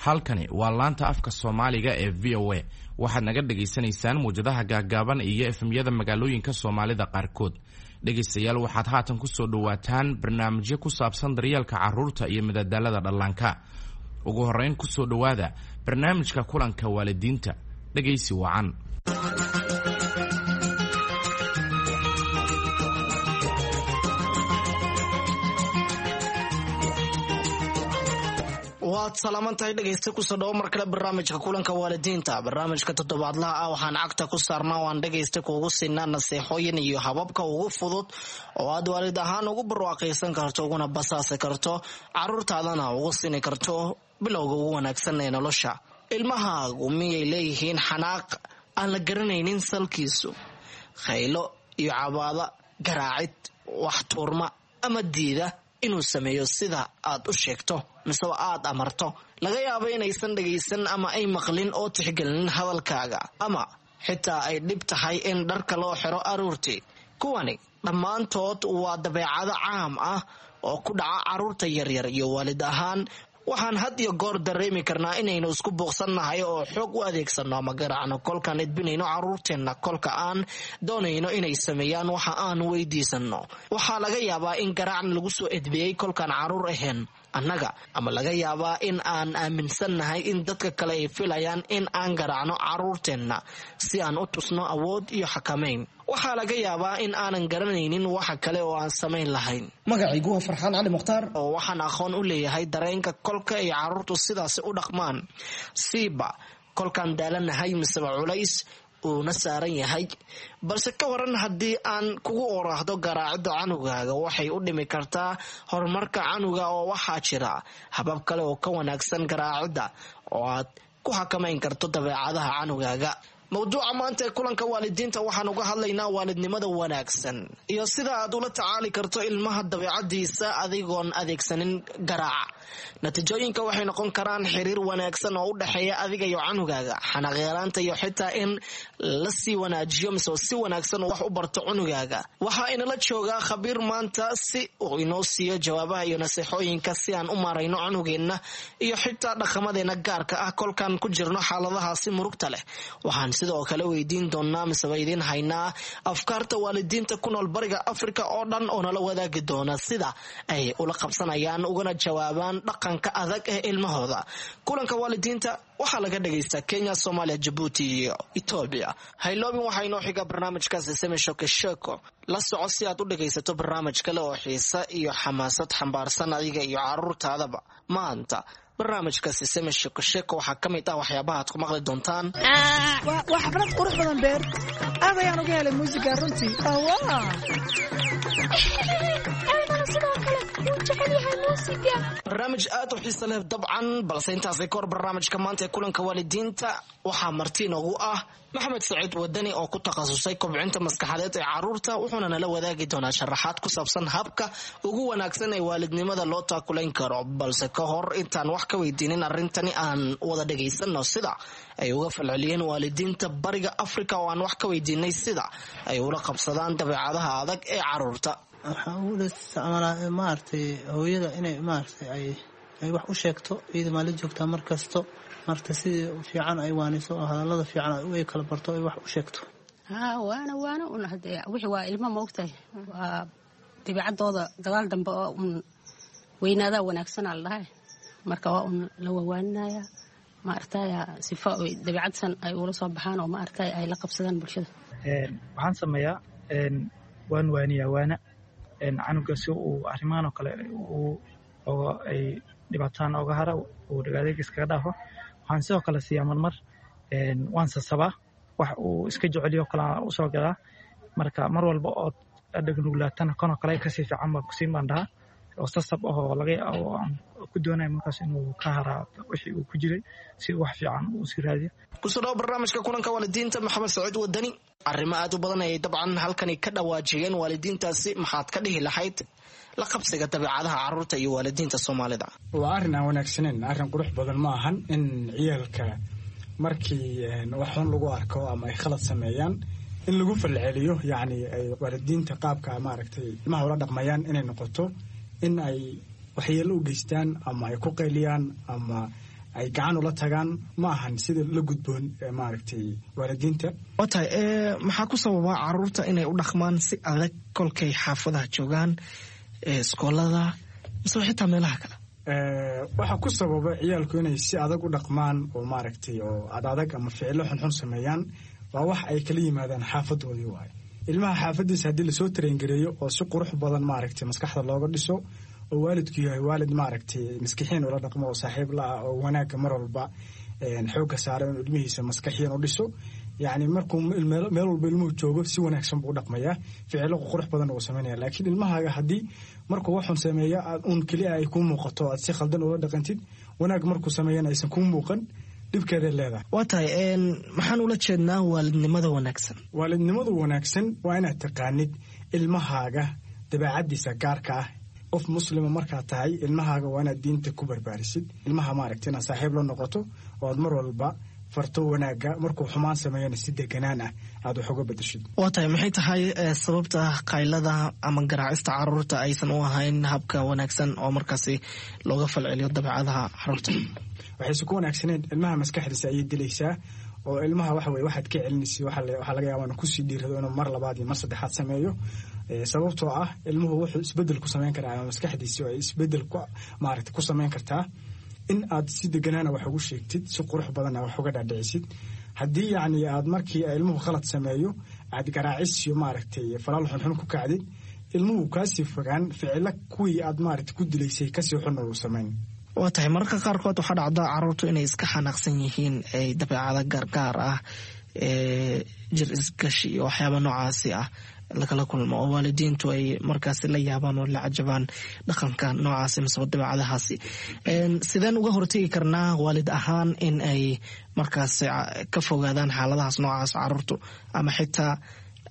Halkani waa laanta afka Soomaaliga ee VOA. Waxaad naga dhagaysanaysaan muwjadaha gaaggaaban iyo FM-yada magaalooyinka Soomaalida qaarkood. Dhegaystayaal, waxaad haatan ku soo dhowaataan barnaamijyo ku saabsan daryeelka carruurta iyo madadaalada dhallaanka. Ugu horrayn, ku soo dhowaada barnaamijka kulanka waalidiinta. Dhegaysi wacan. Waad salaaman tahay, dhegaysta. Kusoo dhawo mar kale barnaamijka kulanka waalidiinta. Barnaamijka toddobaadlaha ah waxaan cagta ku saarnaa oo aan dhegaysta kuugu siinaa naseexooyin iyo hababka ugu fudud oo aad waalid ahaan ugu barwaaqaysan karto, uguna basaasi karto caruurtaadana ugu siini karto bilowga ugu wanaagsan ee nolosha. Ilmahaagu miyay leeyihiin xanaaq aan la garanaynin salkiisu, khaylo iyo cabaada, garaacid, wax tuurma ama diida inuu sameeyo sida aad u sheegto miseba aad amarto? Laga yaabo inaysan dhagaysan ama ay maqlin oo tixgelinin hadalkaaga, ama xitaa ay dhib tahay in dharka loo xiro aruurtii. Kuwani dhammaantood waa dabeecado caam ah oo ku dhaca caruurta yaryar, iyo waalid ahaan waxaan had iyo goor dareemi karnaa inaynu isku buuqsannahay oo xoog u adeegsano ama garaacno kolkaan idbinayno caruurteenna, kolka aan doonayno inay sameeyaan waxa aan weydiisano. Waxaa laga yaabaa in garaacna lagu soo edbiyey kolkaan caruur ahayn annaga, ama laga yaabaa in aan aaminsannahay in dadka kale ay filayaan in aan garaacno caruurteenna si aan u tusno awood iyo xakamayn. Waxaa laga yaabaa in aanan garanaynin waxa kale oo aan samayn lahayn. Magacaygu waa Farxaan Cali Mukhtaar. Oo waxaan aqoon u leeyahay dareenka kolka ay caruurtu sidaasi u dhaqmaan, siiba kolkaan daalanahay miseba culays uuna saaran yahay. Balse ka waran haddii aan kugu oraahdo garaacidda canugaaga waxay u dhimi kartaa horumarka canuga, oo waxaa jira habab kale oo ka wanaagsan garaacidda oo aad ku xakamayn karto dabeecadaha canugaaga? Mawduuca maanta ee kulanka waalidiinta waxaan uga hadlaynaa waalidnimada wanaagsan iyo sida aad ula tacaali karto ilmaha dabeecadiisa adigoon adeegsanin garaaca. Natiijooyinka waxay noqon karaan xiriir wanaagsan oo u dhexeeya adiga iyo canugaaga, xanaaqyaraanta, iyo xitaa in lasii wanaajiyo mise si wanaagsan wax u barto cunugaaga. Waxaa inala joogaa khabiir maanta si uu inoo siiyo jawaabaha iyo naseexooyinka si aan u maarayno cunugeenna iyo xitaa dhaqamadeenna gaarka ah kolkaan ku jirno xaaladahaasi murugta leh. Waxaan sidoo kale weydiin doonaa miseba idiin haynaa afkaarta waalidiinta ku nool bariga Afrika oo dhan oo nala wadaagi doona sida ay ula qabsanayaan ugana jawaabaan dhaqanka adag ee ilmahooda. Kulanka waalidiinta waxaa laga dhagaystaa Kenya, Soomaaliya, Jabuuti iyo Etoobiya. Hayloobin, waxaa inoo xiga barnaamijka Seseme Shoke Sheko. La soco si aad u dhagaysato barnaamij kale oo xiisa iyo xamaasad xambaarsan adiga iyo caruurtaadaba. Maanta barnaamijka Siseme Sheko Sheko waxaa ka mid ah waxyaabaha aad ku maqli doontaan. Waa xaflad qurux badan, beer. Aad ayaan uga helay muusiga runtii. Aadana sidoo kale wuu jecel yahay muusiga. Barnaamij aad u xiisa leh dabcan, balse intaasi kahor, barnaamijka maanta ee kulanka waalidiinta waxaa marti inoogu ah Maxamed Saciid Wadani oo ku takhasusay kobcinta maskaxadeed ee caruurta, wuxuuna nala wadaagi doonaa sharaxaad ku saabsan habka ugu wanaagsan ee waalidnimada loo taakulayn karo. Balse ka hor intaan wax ka weydiinin arrintani, aan wada dhagaysano sida ay uga falceliyeen waalidiinta bariga Afrika oo aan wax ka weydiinay sida ay ula qabsadaan dabeecadaha adag ee caruurta. Waxaa ugu isticmaalaa, maaragtay, hooyada inay, maaragtay, ay wax u sheegto iyada maa la joogtaa mar kasto, marta sidii fiican ay waaniso oo hadallada fiican ay kala barto, ay wax u sheegto. Haa, waana waana un hadee wixii waa ilmo, maogtahay, waa dabeecadooda gadaal dambe oo un weynaadaa wanaagsanaa la dhahay. Marka waa un la wawaaninaya, ma aragtaya, sifa oy dabeecadsan ay ula soo baxaan oo, ma aragtay, ay la qabsadaan bulshada. Waxaan sameeyaa, waan waaniyaa, waana canuga si uu arrimahan oo kale oo ay dhibaataan oga hara, uu dhagaadeeg iskaga dhaafo. Waxaan sidoo kale siiyaa marmar, waan sasabaa, wax uu iska jeceliyo kale usoo gadaa. Marka mar walba ood dhagnuglaatana kanoo kale kasii fiican baa kusiin baan dhahaa, oo sasab ahoo laga oo aan ku doonaya markaas inuu ka haraa wixii uu ku jiray si wax fiican uu sii raadiyo. Kusoo dhawo barnaamijka kulanka waalidiinta, Maxamed Saciid Wadani. Arrimo aad u badan ayay dabcan halkani ka dhawaajiyeen waalidiintaasi. Maxaad ka dhihi lahayd la qabsiga dabeecadaha caruurta iyo waalidiinta Soomaalida? Waa arrin aan wanaagsaneyn, arrin qurux badan ma ahan in ciyaalka markii wax xun lagu arko ama ay khalad sameeyaan in lagu falceliyo, yacni ay waalidiinta qaabka, maaragtay, ilmaha ula dhaqmayaan inay noqoto in ay waxyeello u geystaan ama ay ku qayliyaan ama ay gacan ula tagaan ma ahan sida la gudboon maaragtay waalidiinta. Waa tahay, maxaa ku sababa caruurta inay u dhaqmaan si adag kolkay xaafadaha joogaan, iskoolada mise xitaa meelaha kale? Waxaa ku sababa ciyaalku inay si adag u dhaqmaan oo maaragtay oo adadag ama ficilo xunxun sameeyaan waa wax ay kala yimaadaan xaafadoodii waaye. Ilmaha xaafadiisa haddii lasoo tarengareeyo oo si qurux badan maaragtay maskaxda looga dhiso oo waalidku yahay waalid maaragtay maskixiin ula dhaqmo oo saaxiib la ah oo wanaagga mar walba xoogga saaro inuu ilmihiisa maskaxiyan u dhiso, yacni markuu meel walba ilmuhu joogo si wanaagsan buu u dhaqmayaa, ficilo qurux badan uu samaynaya. Laakiin ilmahaaga haddii markuu waxun sameeyo aad uun keliya ay kuu muuqato aad si khaldan ula dhaqantid, wanaag markuu sameeyana aysan kuu muuqan, dhibkeeday leedahay. Waa tahay, maxaan ula jeednaa waalidnimada wanaagsan? Waalidnimadu wanaagsan waa inaad taqaanid ilmahaaga dabeecadiisa gaarka ah. Qof muslima markaad tahay, ilmahaaga waa inaad diinta ku barbaarisid. Ilmaha maaragta inaad saaxiib la noqoto oo aad mar walba farto wanaagga, markuu xumaan sameeyana si deganaan ah aad wax uga bedeshid. Waa tahay, maxay tahay sababta qaylada ama garaacista caruurta aysan u ahayn habka wanaagsan oo markaasi looga falceliyo dabeecadaha caruurta? Waxayse ku wanaagsaneyn ilmaha maskaxdiisa ayay dilaysaa oo ilmaha waxa weye waxaad ka celinaysa waxaa laga yaabaa inuu kusii dhiirado inuu mar labaad iyo mar saddexaad sameeyo, sababtoo ah ilmuhu wuxuu isbedel ku samayn karaa ama maskaxdiisi ay isbedel maaragta ku samayn kartaa in aad si deganaana wax ugu sheegtid, si qurux badanna wax uga dhaadhicisid. Haddii yacni aad markii ilmuhu khalad sameeyo aad garaacis iyo maaragtay falaal xunxun ku kacdid, ilmuhu kaasii fogaan, ficilo kuwii aad maaragtay ku dilaysay kasii xunna uu samayn. Waa tahay, mararka qaarkood waxaa dhacda caruurtu inay iska xanaaqsan yihiin, ay dabeecado gaargaar ah, jir isgashi iyo waxyaaba noocaasi ah lagala kulmo oo waalidiintu ay markaasi la yaabaan oo la cajabaan dhaqanka noocaasi miseba dabeecadahaasi. Sideen uga hortegi karnaa waalid ahaan in ay markaasi ka fogaadaan xaaladahaas noocaas caruurtu, ama xitaa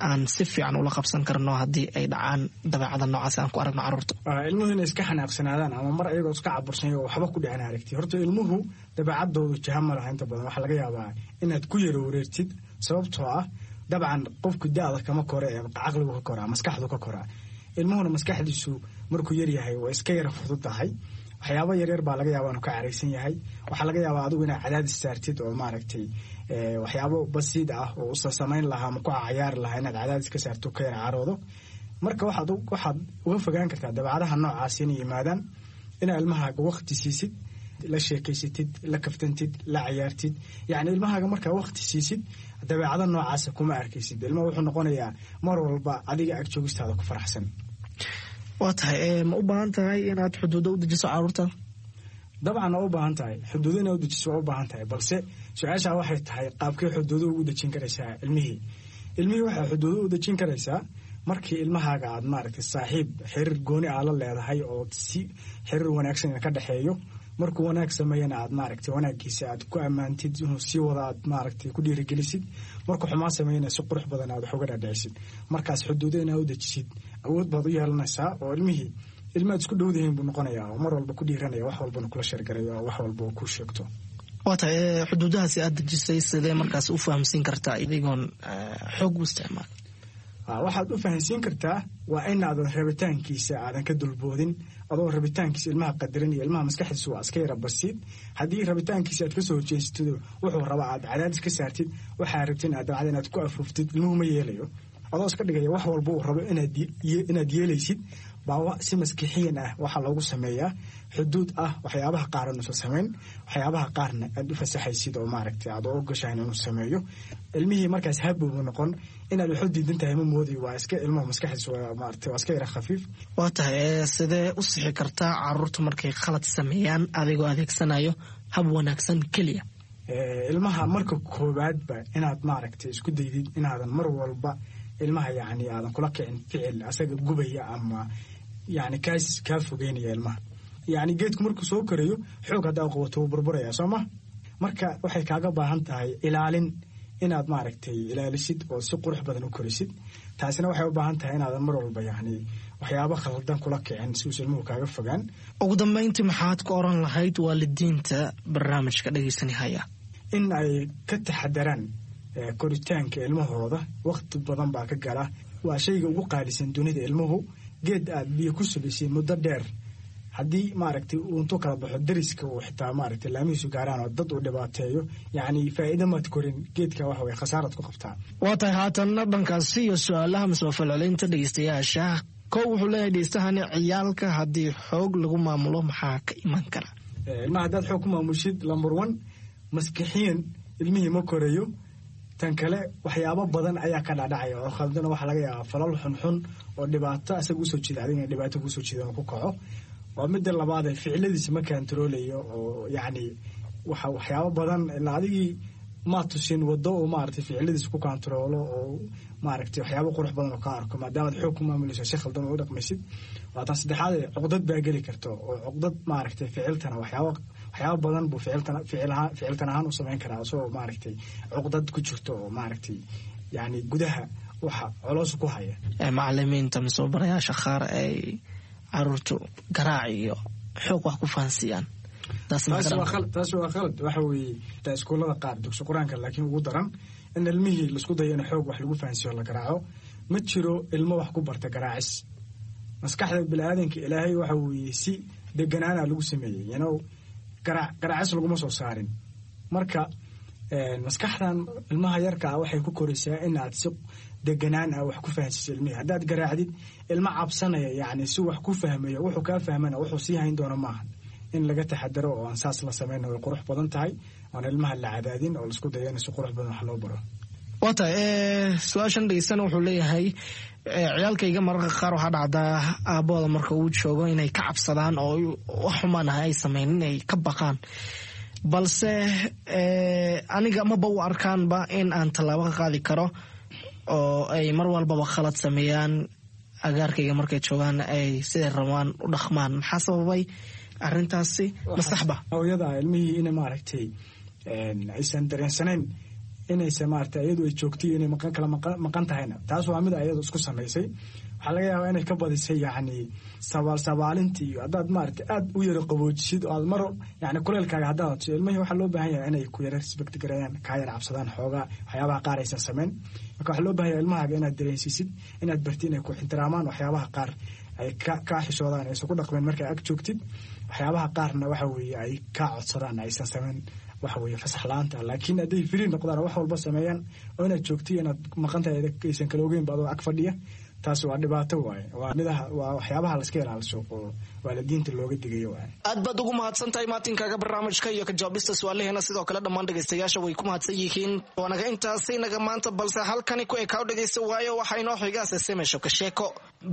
aan si fiican ula qabsan karno haddii ay dhacaan dabeecada noocaasi aan ku aragno caruurta? Ilmuhu inay iska xanaaqsanaadaan ama mar ayagoo iska cabursan oo waxba ku dhicin aragti, horta ilmuhu dabeecadoodu jaha ma laha. Inta badan waxaa laga yaabaa inaad ku yaro wareertid, sababtoo ah dabcan qofku da-da kama kore ee caqligu ka koraa, maskaxdu ka koraa. Ilmuhuna maskaxdiisu markuu yaryahay waa iska yara fududahay, waxyaabo yaryar baa laga yaabaa inuu ka caraysan yahay. Waxaa laga yaabaa adigu inaad cadaadis saartid oo maaragtay waxyaabo basiid ah oo usa samayn lahaa ama ku cayaari lahaa inaad cadaadis ka saarto ka yara caroodo. Marka waxaad uga fogaan kartaa dabeecadaha noocaas inay yimaadaan inaad ilmahaaga waqti siisid, la sheekaysatid, la kaftantid, la cayaartid. Yacni ilmahaaga markaa waqti siisid dabeecado noocaasa kuma arkaysid. Ilmaha wuxuu noqonayaa mar walba adiga ag joogistaada ku faraxsan. Waa tahay, ma u baahan tahay inaad xuduudo u dejiso caruurta? Dabcan waa u baahan tahay xuduudo inaad u dejiso, waa u baahan tahay, balse su-aashaa waxay tahay qaabkee xuduudo ugu dejin karaysaa ilmihii? Ilmihii waxay xuduudo u dejin karaysaa markii ilmahaaga aad maaragtay saaxiib xiriir gooni aa la leedahay oo si xiriir wanaagsan ka dhexeeyo. Markuu wanaag sameeyana aad maaragtay wanaagiisa aad ku ammaantid, inuu sii wada aad maaragtay ku dhiirigelisid. Markuu xumaan sameeyana si qurux badan aad wax uga dhaadhicisid. Markaas xuduudo inaad u dejisid awood baad u yeelanaysaa oo ilmihii ilmaad isku dhowdahiin buu noqonayaa oo mar walba ku dhiiranaya, wax walbana kula sheergaraya oo wax walba ku sheegto. Waa tahay, xuduudahaasi aad dejisay sidee markaas u fahamsiin kartaa idigoon xoog u isticmaal? Waxaad u fahansiin kartaa waa inaadan rabitaankiisa aadan ka dulboodin, adoo rabitaankiisa ilmaha qadarinaya. Ilmaha maskaxdiisa waa iska yara basiid. Haddii rabitaankiisa aad kasoo horjeesatid, wuxuu rabaa aad cadaadis ka saartid, waxaa rabtin aad dabcada inaad ku afuuftid, ilmuhu ma yeelayo. Adoo iska dhigaya wax walba uu rabo inaad yeelaysid baa si maskixiyan ah waxaa loogu sameeyaa xuduud ah waxyaabaha qaar inuusan samayn, waxyaabaha qaarna aad u fasaxaysid oo maaragtay aad u ogashahan inuu sameeyo. Ilmihii markaas habowbu noqon inaad waxu diidan tahay ma moodi, waa iska ilmuhu maskaxdiisu waa maaragtay waa iska yara khafiif. Waa tahay, sidee u sixi kartaa caruurta markay khalad sameeyaan adigoo adeegsanayo hab wanaagsan keliya? Ilmaha marka koowaadba inaad maaragtay isku daydid inaadan mar walba ilmaha yacni aadan kula kicin ficil asaga gubaya ama yacni kaas kaa fogeynaya ilmaha. Yacni geedku markuu soo korayo xoog haddaa qabato wuu burburaya, soo ma? Marka waxay kaaga baahan tahay ilaalin, inaad maaragtay ilaalisid oo si qurux badan u korisid. Taasina waxay u baahan tahay inaadan mar walba yacni waxyaabo khaldan kula kicin si uusa ilmuhu kaaga fogaan. Ugu dambeyntii, maxaad ku oran lahayd waalidiinta barnaamijka dhegeysanihaya? In ay ka taxadaraan koritaanka ilmahooda. Waqti badan baa ka gala, waa shayga ugu qaalisan dunida ilmuhu. Geed aad biyo ku subaysay muddo dheer Haddii maaragtay uu intuu kala baxo dariska uu xitaa maaragtay laamihiisu gaaraan oo dad uu dhibaateeyo, yacni faa'iido maad korin geedka, waxa weye khasaaraad ku qabtaa. Waa tahay. Haatanna dhankaasi iyo su-aalaha mise falcelinta dhegeystayaasha. Kow wuxuu leeyahay dhegeystahani: ciyaalka haddii xoog lagu maamulo maxaa ka iman kara? Ilmaha haddaad xoog ku maamushid, number one, maskixiyan ilmihii ma korayo. Tan kale, waxyaabo badan ayaa ka dhacdhacaya oo khaldana. Waxaa laga yaabaa falal xunxun oo dhibaato asaga usoo jeeda, adigana dhibaato kusoo jeeda ku kaco. Waa midda labaad, ficiladiisa ma kantaroolayo oo yacni waxa waxyaabo badan ilaa adigii maa tusin wado oo maaragtay ficiladiisa ku kantaroolo oo maaragtay waxyaabo qurux badan oo ka arko, maadaamaad xoog ku maamulayso, si khaldan oo u dhaqmaysid. Waa tan saddexaad, cuqdad baa geli karto oo cuqdad maaragtay ficiltana waxyaabo badan buu ficiltana ficilahaan ficiltan ahaan u samayn karaa, isagoo maaragtay cuqdad ku jirto oo maaragtay yacni gudaha waxa coloos ku haya. Macalimiinta mise barayaasha qaar ay caruurtu garaac iyo xoog wax ku fahansiiyaan? Taasi waa khalad. Waxa weeye taa iskuullada qaar, dugsi qur-aanka, laakiin ugu daran in ilmihii laisku dayo in xoog wax lagu fahansiiyo, la garaaco. Ma jiro ilmo wax ku barta garaacis. Maskaxda biniaadanka Ilaahay waxa weeye si deganaana lagu sameeyey, garaacis laguma soo saarin. Marka maskaxdan ilmaha yarka ah waxay ku koraysaa inaad si deganaan ah wax ku fahansiiso ilmihii. Haddaad garaacdid, ilmo cabsanaya yacni si wax ku fahmayo, wuxuu kaa fahmana wuxuu sii hayn doona maaha. In laga taxadaro oo aan saas la samayna way qurux badan tahay, oon ilmaha la cadaadin oo laisku dayo in si qurux badan wax loo baro. Waa tahay. Su-aashan dhegeystana wuxuu leeyahay: ciyaalkayga mararka qaar waxaa dhacdaa aabbooda marka uu joogo inay ka cabsadaan oo wax xumaan ah ay sameyn, inay ka baqaan, balse aniga maba u arkaanba in aan tallaabo ka qaadi karo oo ay mar walbaba khalad sameeyaan, agaarkayga markay joogaan ay siday rabaan u dhaqmaan. Maxaa sababay arrintaasi? Ma saxba? Hooyada ilmihii ina maaragtay aysan dareensanayn inaysa maaragtay iyadu ay joogtay inay maqan kala maqan tahayna, taas waa mid ayadu isku samaysay. Waxaa laga yaabaa inay ka badisay yacni sabaal sabaalintii, iyo haddaad maaragtay aad u yara qaboojisid oo aad mar yacni kuleelkaaga haddaad adso ilmihii, waxaa loo baahan yahay inay ku yara respect gareeyaan, kaa yara cabsadaan xoogaa, waxyaabaha qaar aysan samayn. Marka waxaa loo baahan yahay ilmahaaga inaad dareensiisid, inaad bartid inay ku ixtiraamaan, waxyaabaha qaar ay kaa xishoodaan, aysan ku dhaqmeen markaa ag joogtid, waxyaabaha qaarna waxa weeye ay kaa codsadaan aysan samayn, waxa weeye fasax la-aanta. Laakiin hadday free noqdaan oo wax walba sameeyaan oo inaad joogtay inaad maqan tahay aysan kala ogeynba adoo ag fadhiya, taas waa dhibaato waaye. Waa midaha, waa waxyaabaha laska ilaaliso oo waalidiinta looga digayo waaye. Aad baad ugu mahadsan tahay maatinkaaga barnaamijka iyo ka jawaabista su-aalaheena. Sidoo kale dhammaan dhegeystayaasha way ku mahadsan yihiin. Waanaga intaasi naga maanta, balse halkani ku ekaaw dhegeysta, waayo waxaa inoo xigaase semesho ka sheeko.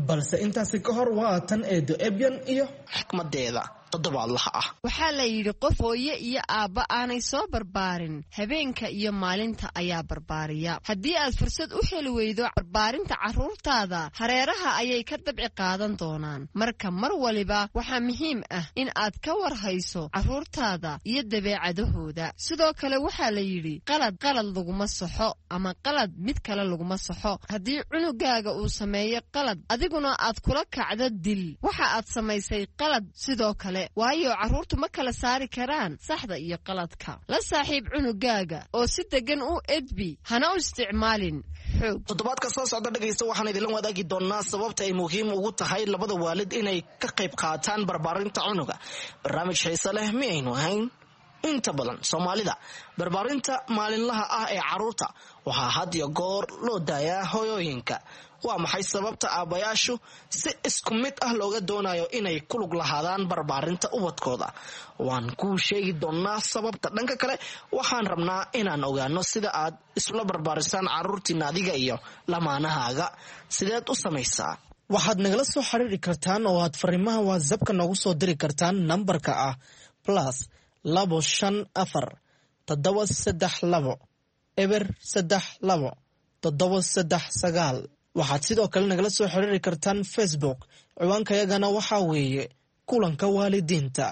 Balse intaasi ka hor waa tan eedo Ebyan iyo xikmadeeda toddobaadlaha ah. Waxaa la yidhi qof hooye iyo aabba aanay soo barbaarin, habeenka iyo maalinta ayaa barbaariya. Haddii aad fursad u heli weydo barbaarinta carruurtaada, hareeraha ayay ka dabci qaadan doonaan. Marka mar waliba waxaa muhiim ah in aad ka war hayso carruurtaada iyo dabeecadahooda. Sidoo kale waxaa la yidhi qalad qalad laguma saxo ama qalad mid kale laguma saxo. Haddii cunugaaga uu sameeyo qalad, adiguna aad kula kacdo dil, waxa aad samaysay qalad sidoo kale, waayo carruurtu ma kala saari karaan saxda iyo qaladka. La saaxiib cunugaaga oo si deggan u edbi, hana u isticmaalin xoog. Toddobaadka soo socda, dhegaysta, waxaan idinla wadaagi doonaa sababta ay muhiim ugu tahay labada waalid inay ka qayb qaataan barbaarinta cunuga. Barnaamij xiise leh miyaynu ahayn? Inta badan Soomaalida barbaarinta maalinlaha ah ee carruurta waxaa had iyo goor loo daayaa hooyooyinka. Waa maxay sababta aabbayaashu si isku mid ah looga doonayo inay ku lug lahaadaan barbaarinta ubadkooda? Waan kuu sheegi doonaa sababta. Dhanka kale, waxaan rabnaa inaan ogaano sida aad isula barbaarisaan carruurtiina, adiga iyo lamaanahaaga. Sideed u samaysaa? Waxaad nagala soo xiriiri kartaan oo aad fariimaha WhatsAppka noogu soo diri kartaan nambarka ah +254 732 032 739. Waxaad sidoo kale nagala soo xiriiri kartaan Facebook. Ciwaankayagana waxaa weeye Kulanka Waalidiinta.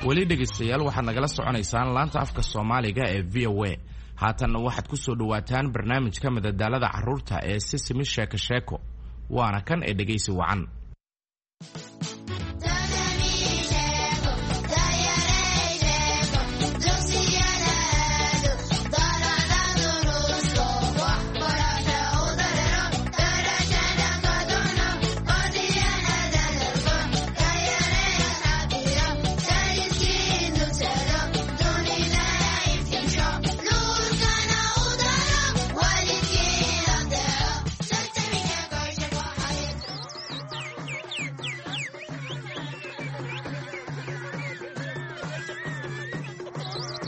Weli dhegaystayaal, waxaad nagala soconaysaan laanta afka Soomaaliga ee VOA. Haatanna waxaad ku soo dhowaataan barnaamijka madadaalada carruurta ee Sisimi Sheeko Sheeko. Waana kan ee dhegaysi wacan.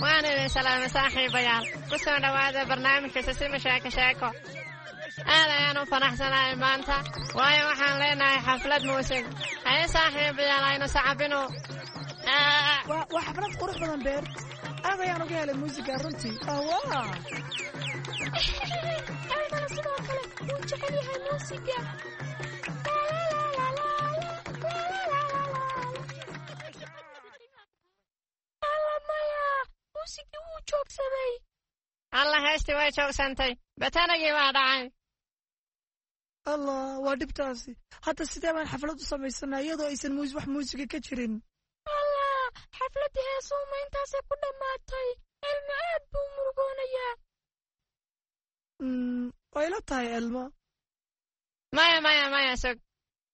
Waan idin salaamay saaxiibayaal. Ku soo dhowaada barnaamijka Sisimi Sheeko Sheeko. Aad ayaan u faraxsanahay maanta, waayo waxaan leenahay xaflad muusig. Haye saaxiibayaal, aynu sacabino. Waa xaflad qurux badan, Beer. Aad ayaan uga helay muusiga runtii. Elmana sidoo kale wuu jecel yahay muusiga. Muusigii wuu joogsaday. Alla, heestii way joogsantay. Batanagii waa dhacay. Allah, waa dhibtaasi. Hadda sidee baan xaflad u samaysanaa iyadoo aysan wax muusiga ka jirin? Allah, xafladdii heesuuma intaasay ku dhammaatay. Elmo aad buu murugoonayaa. Way la tahay, Elmo. Maya, maya, maya, sug.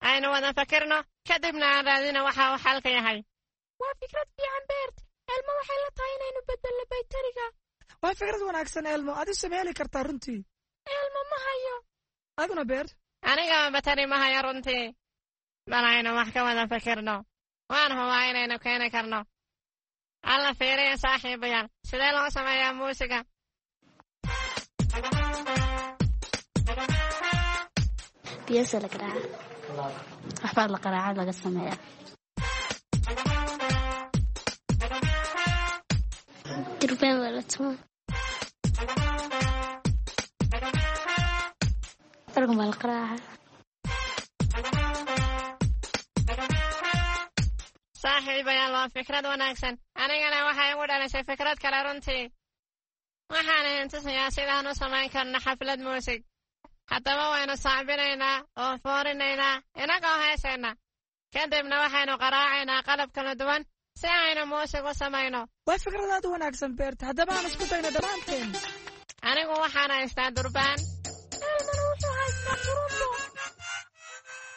Aynu wada fakirno, kadibna aan raadino waxa uu xalka yahay. Waa fikrad fiican, Beert. Elmo waxay la tahay inaynu beddelno baytariga. Waa fikrad wanaagsan, Elmo. Adigu ma heli kartaa runtii? Elmo ma hayo. Aduna, Beert? Anigaba batari ma hayo runtii. Bal aynu wax ka wada fikirno. Waan hubaa inaynu keeni karno. Alla, fiiriya saaxiibayaal, sidee loo sameeyaa muusiga? Biyasa la qaraaca, waxbaa la qaraaca laga sameeyaa. Durbaan waa la tumaa. Organ baa la qaraaca. Saaxiibayaal, waa fikrad wanaagsan. Anigana waxay igu dhalisay fikrad kale runtii. Waxaan idin tusayaa sidaan u samayn karno xaflad muusig. Haddaba waynu sacbinaynaa oo foorinaynaa inagoo heesayna. Kadibna waxaynu qaraacaynaa qalab kala duwan si aynu muusig u samayno. Waa fikrad aad u wanaagsan, Beerta. Haddaba aan isku dayno dhammaanteen. Anigu waxaan haystaa durbaan. Elmona wuxuu haystaa turumbo.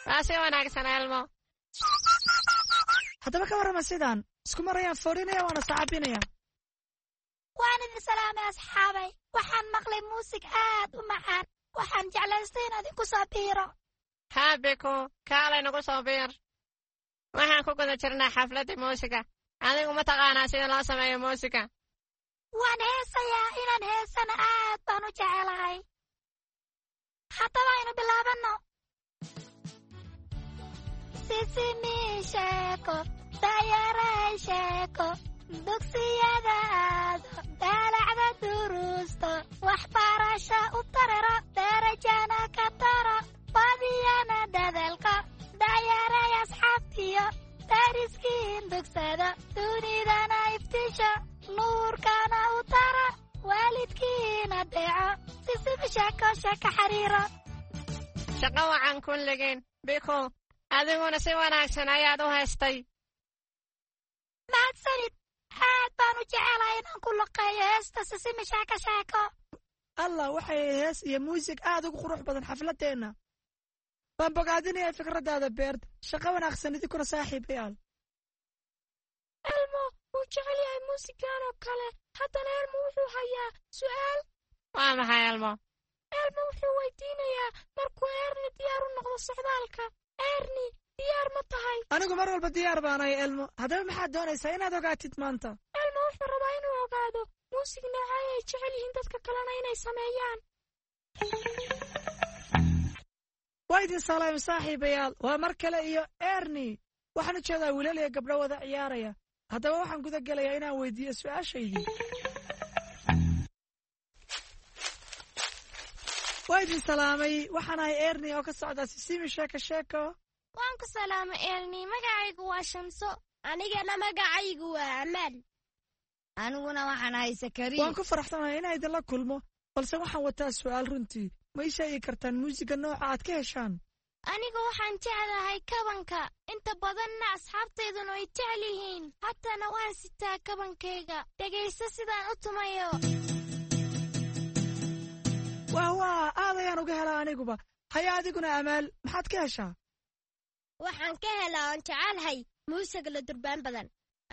Waa si wanaagsan, Elmo. Haddaba ka warrama sidaan isku mar ayaan foorinaya waana sacabinaya. Waan idin salaamay asxaabay. Waxaan maqlay muusig aad u macaan. Waxaan jeclaystay in idinku soo biiro. Haabiku, kaalay nagu soo biir. Waxaan ku guda jirnaa xafladdii muusiga. Adigu ma taqaanaa sida loo sameeyo muusiga? Waan heesayaa. Inaan heesana aad baan u jecelahay. Haddaba aynu bilaabanno. Sisimi sheeko, dayaray sheeko, dugsiyada aado, daalacda duruusto, waxbarasha u tararo, darajana ka taro, badiyana dadaalka, dayaray asxaabtiyo, dariskiin dugsado, dunidana iftiisho, nuurkana u taro, waalidkiina deeco, sisimi sheeko sheeko xariiro. Shaqo wacan kulligeen. Biku, adiguna si wanaagsan ayaad u haystay. Mahadsanid. Aad baan u jecelahay inaan ku luqeeyo heesta Sisimi Sheeko Sheeko. Allah, waxay hees iyo muusig aad ugu qurux badan xafladdeenna. Waan bogaadinayaa fikraddaada, Beert. Shaqo wanaagsan idinkuna, saaxiibayaal. Elmo wuu jecel yahay muusigan oo kale. Haddana Elmo wuxuu hayaa su'aal. Waa maxay, Elmo? Elmo wuxuu weydiinayaa markuu Erni diyaar u noqdo socdaalka. Erni, diyaar ma tahay? Anigu mar walba diyaar baanahay, Elmo. Haddaba maxaad doonaysaa inaad ogaatid maanta? Elmo wuxuu rabaa inuu ogaado muusig noocay ay jecel yihiin dadka kalena inay sameeyaan. Waa idin salaamay saaxiibayaal. Waa mar kale iyo Erni. Waxaan u jeedaa wiilal iyo gabdho wada ciyaaraya. Haddaba waxaan guda gelayaa inaan weydiiyo su'aashaydii. Waa idin salaamay. Waxaan ahay Erni oo ka socda Sisimi Sheeko Sheeko. Waan ku salaamay, Erni. Magacaygu waa Shamso. Anigana magacaygu waa Amaal. Aniguna waxaan ahay Sakariya. Waan ku faraxsanahay inaan idinla kulmo, balse waxaan wataa su'aal runtii. Ma ii sheegi kartaan muusiga nooca aad ka heshaan? Anigu waxaan jeclahay kabanka, inta badanna asxaabtayduna way jecel yihiin. Haddana waan sitaa kabankayga. Dhegayso sidaan u tumayo. Wah wah, aad ayaan uga helaa aniguba. Haya, adiguna Amaal, maxaad ka heshaa? Waxaan ka helaa oon jecelahay muusiga la durbaan badan.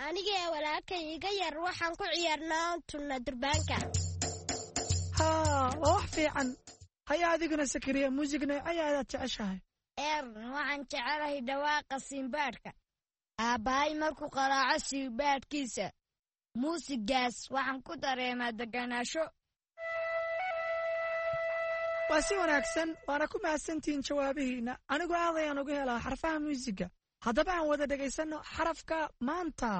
Anigee walaalkay iga yar waxaan ku ciyaarnaa oon tunna durbaanka. Haa, waa wax fiican. Haya, adiguna Sakariya, muusig noocee ayaad jeceshahay? Waxaan jecelahay dhawaaqa simbaadhka. Aabbahay markuu qaraaco simbaadhkiisa, muusigaas waxaan ku dareemaa degganaasho. Waa si wanaagsan, waana ku mahadsantihiin jawaabihiinna. Anigu aad ayaan uga helaa xarfaha muusiga. Haddaba aan wada dhegaysanno xarafka maanta.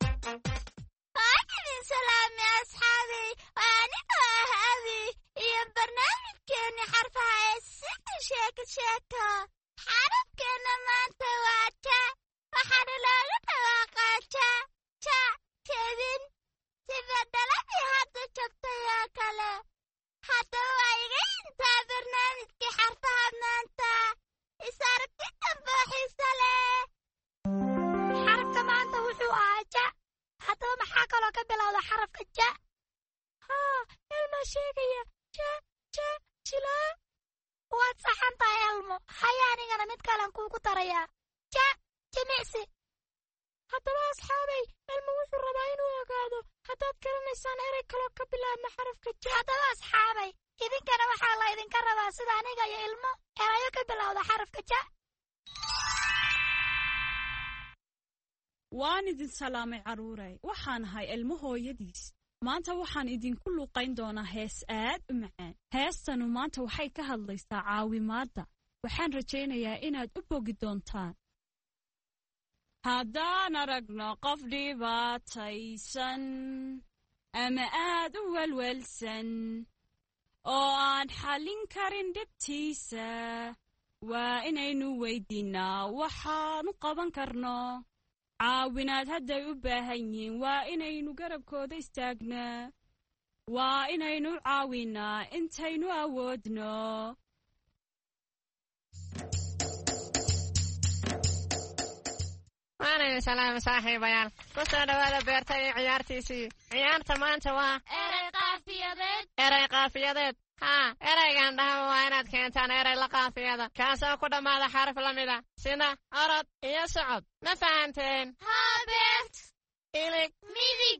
Waan idin salaamay asxaabay. Waa anigoo ah Abi iyo barnaamijkeenni xarfaha ee Sida Sheeko Sheeko. Xarafkeenna maanta waa ja, waxaana looga dhawaaqaa ja ja jebin, sida dhaladii hadda jabtay oo kale. Haddaba waa iga intaa barnaamijkii xarfaha maanta. Is aragti dambe oo xiiso leh. Xarafka maanta wuxuu ahaa ja. Haddaba maxaa kaloo ka bilowda xarafka ja? Haa, Elmaa sheegaya. Ja ja jilaa. Waad saxan tahay, Elmo. Haya, anigana mid kalen kuugu darayaa. Ja jimicsi. Haddaba asxaabay, Elmo wuxuu rabaa inuu ogaado haddaad garanaysaan erey kaloo ka bilaabma xarafka ja. Haddaba asxaabay, idinkana waxaa la idinka rabaa sida aniga iyo Ilmo erayo ka bilowda xarafka ja. Waan idin salaamay, carruuray. Waxaan ahay Ilmo hooyadiis. Maanta waxaan idinku luuqayn doonaa hees aad u macaan. Heestanu maanta waxay ka hadlaysaa caawimaadda. Waxaan rajaynayaa inaad u bogi doontaan. Haddaan aragno qof dhibaataysan ama aad u welwelsan oo aan xallin karin dhibtiisa, waa inaynu weydiinnaa waxaanu qaban karno. Caawinaad hadday u baahan yihiin, waa inaynu garabkooda istaagnaa. Waa inaynu caawinnaa intaynu awoodno. Waan idin salaamay saaxiibayaal. Ku soo dhowaada beerta iyo ciyaartiisii. Ciyaarta maanta waa erey qaafiyadeed. Erey qaafiyadeed. Haa, ereygan dhahaba waa inaad keentaan erey la qaafiyada, kaasoo ku dhammaada xaraf la mida, sida orod iyo socod. Ma fahanteen? Haa, Beert. Ilig. Midig.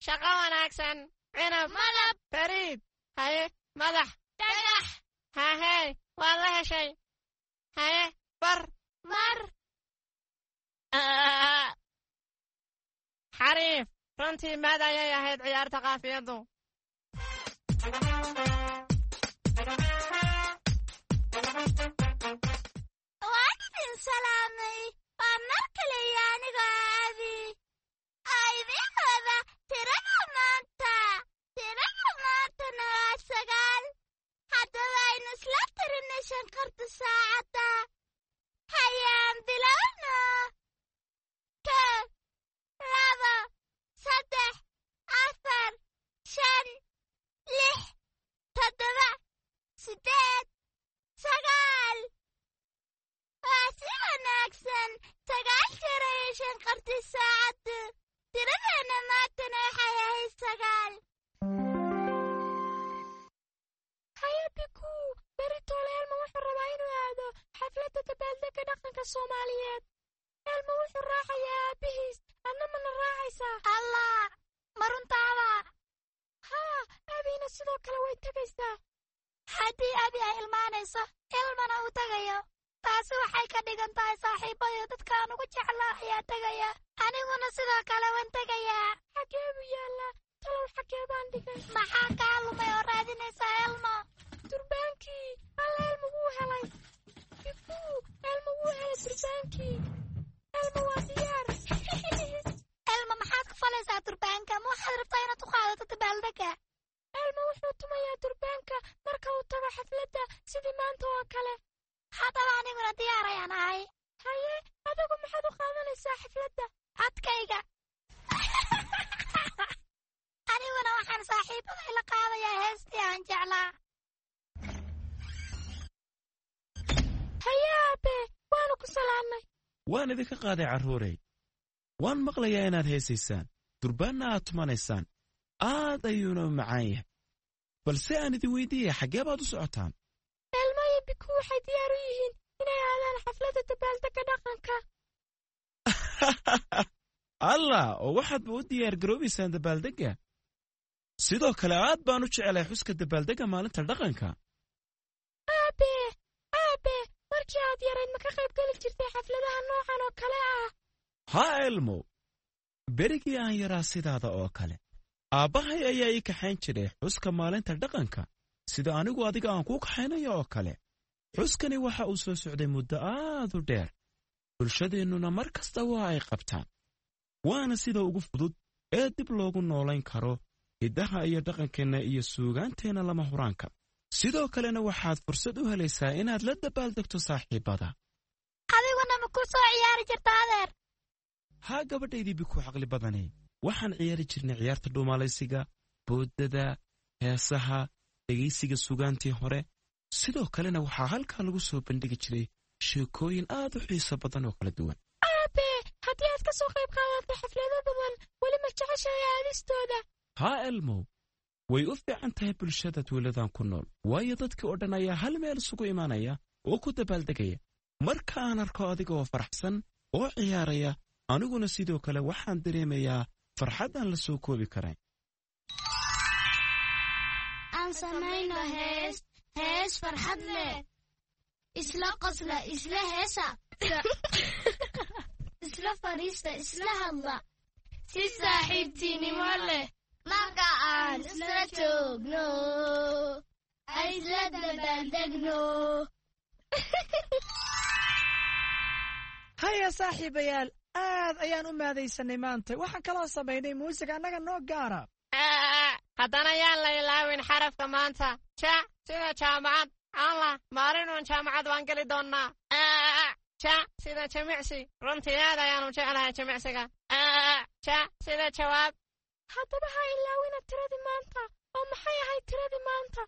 Shaqo wanaagsan. Cinab. Malab. Fariid. Haye, madax. Dhagax. Hahey, waad la heshay. Haye, bar. Mar. Xariif. Runtii maad ayay ahayd ciyaarta qaafiyaddu. Waan idin salaamay. Waa mar kale iyo anigoo Abi oo idiin wada tirada maanta. Tirada maantana waa 9. Haddaba aynu isla tirinay shanqarta saacadda. Hayaan bilowno. 1, 2, 3, 4, 5, 6, 7, 8, 9. Waa si wanaagsan. 9 jeer ayay shanqartay saacaddu. Tiradeenna maantana waxay ahayd 9. Haya Bikuu, beritoole Elmo wuxuu rabaa inuu aado xafladda dabaaldegga dhaqanka Soomaaliyeed. Elmo wuxuu raacayaa aabbihiis, adna mana raacaysaa? Allah, ma runtaaba? Haa, Abina sidoo kale way tegaysaa. Haddii Abi ay ilmaanayso, Ilmana uu tagayo, taasi waxay ka dhigan tahay saaxiibayo dadka aan ugu jeclaa ayaa tegaya. Aniguna sidoo kale waan tegayaa. Xagee buu yaallaa? Talow xagee baan dhigay? Maxaa kaa lumay oo raadinaysaa, Elmo? Durbaankii. Alla, Elmo wuu helay. Bikuu, Elmo wuu helay durbaankii. Elmo waa diyaar. Elmo, maxaad ku falaysaa durbaanka? Ma waxaad rabtaa inaad u qaadato dabaaldegga? Elmo wuxuu tumayaa durbaanka marka uu tago xafladda, sidii maanta oo kale. Haddaba aniguna diyaar ayaan ahay. Haye, adigu maxaad u qaadanaysaa xafladda? Codkayga. Aniguna waxaan saaxiib salaamay. Waan idinka qaaday, carruurey. Waan maqlayaa inaad heesaysaan, durbaanna aad tumanaysaan. Aad ayuuna u macaan yahay, balse aan idin weydiiyaya, xaggee baad u socotaan? Elmo iyo Biku waxay diyaar u yihiin inay aadaan xafladda dabaaldegga dhaqanka. Allah, oo waxaadba u diyaar garoobaysaan dabaaldegga. Sidoo kale aad baan u jeclay xuska dabaaldegga maalinta dhaqanka. Aabe, aabe, markii aad yarayd ma ka qayb geli jirtay xafladaha noocan oo kale ah? Haa Elmo, berigii aan yaraa sidaada oo kale aabbahay ayaa ii kaxayn jiray xuska maalinta dhaqanka, sida anigu adiga aan kuu kaxaynayo oo kale. Xuskani waxa uu soo socday muddo aad u dheer, bulshadeennuna mar kasta waa ay qabtaan, waana sida ugu fudud ee dib loogu noolayn karo hiddaha iyo dhaqankeenna iyo suugaanteenna lama huraanka. Sidoo kalena waxaad fursad u helaysaa inaad la dabaaldegto saaxiibbada. Adiguna ma ku soo ciyaari jirta, adeer? Haa gabadhaydii Biku caqli badanay, waxaan ciyaari jirnay ciyaarta dhuumaalaysiga, boodada, heesaha, dhegaysiga sugaantii hore. Sidoo kalena waxaa halkaa lagu soo bandhigi jiray sheekooyin aad u xiiso badan oo kala duwan. Aabe, haddii aad ka soo qayb qaadatay xaflado badan, weli ma jeceshahay aadistooda? Haa Elmow, way u fiican tahay bulshada tuuladan ku nool, waayo dadkii oo dhan ayaa hal meel isugu imanaya oo ku dabaaldegaya. Marka aan arko adiga oo faraxsan oo ciyaaraya, aniguna sidoo kale waxaan dareemayaa farxad aan la soo koobi karayn. Aan samayno hees, hees farxad leh. Isla qosla, isla heesa, isla fadhiista, isla hadla si saaxiibtinimo leh. Marka aan isla joogno, isla dabaaldegno. Haya saaxiibayaal, aad ayaan u maadaysanay maanta. Waxaan kaloo samaynay muusig annaga noo gaara. Haddana yaan la ilaawin xarafka maanta, ja sida jaamacad. Allah, maalinun jaamacad waan geli doonnaa. Ja sida jimicsi, runtii aad ayaanu jeclahay jimicsiga. Ja sida jawaab. Haddaba ha ilaawina tiradii maanta. Oo maxay ahayd tiradii maanta?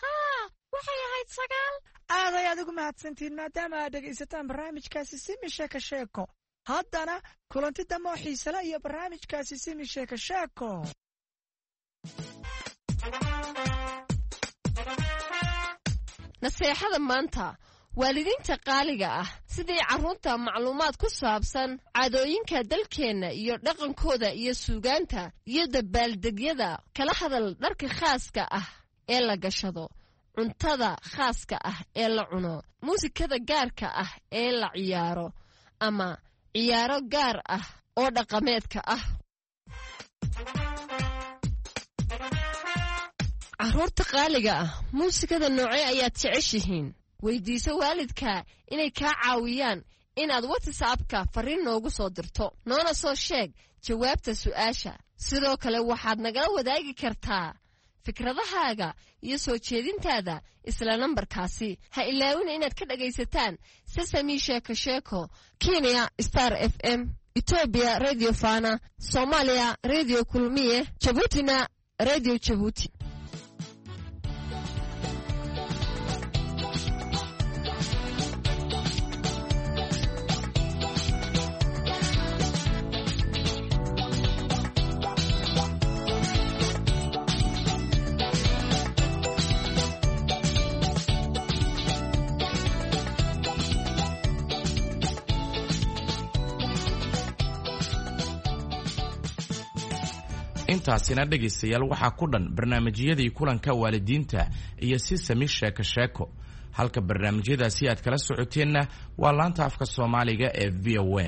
Haa, waxay ahayd 9. Aad ayaad ugu mahadsantihiin maadaama aad dhegaysataan barnaamijkaasi Simi Sheeko Sheeko. Haddana kulanti dambe oo xiisale iyo barnaamijkaasi Simi Sheeko Sheeko. Naseexada maanta, waalidiinta qaaliga ah, sidii carruurta macluumaad ku saabsan caadooyinka dalkeenna iyo dhaqankooda iyo suugaanta iyo dabaaldegyada kala hadal, dharka khaaska ah ee la gashado, cuntada khaaska ah ee la cuno, muusikada gaarka ah ee la ciyaaro ama ciyaaro gaar ah oo dhaqameedka ah. Carruurta qaaliga ah, muusikada noocee ayaad jeceshihiin? Weydiiso waalidka inay kaa caawiyaan inaad WhatsAppka farriin noogu soo dirto, noona soo sheeg jawaabta su'aasha. Sidoo kale waxaad nagala wadaagi kartaa fikradahaaga iyo soo jeedintaada isla nambarkaasi. Ha ilaawina inaad ka dhagaysataan Sesami Sheeko Sheeko Kenya Star FM, Etoobiya Radio Fana, Soomaaliya Radio Kulmiye, Jabuutina Radio Jabuuti. Intaasina dhegaystayaal waxaa ku dhan barnaamijyadii kulanka waalidiinta iyo Sisami Sheeko Sheeko. Halka barnaamijyadaasi aad kala socoteenna waa laanta afka Soomaaliga ee VOA.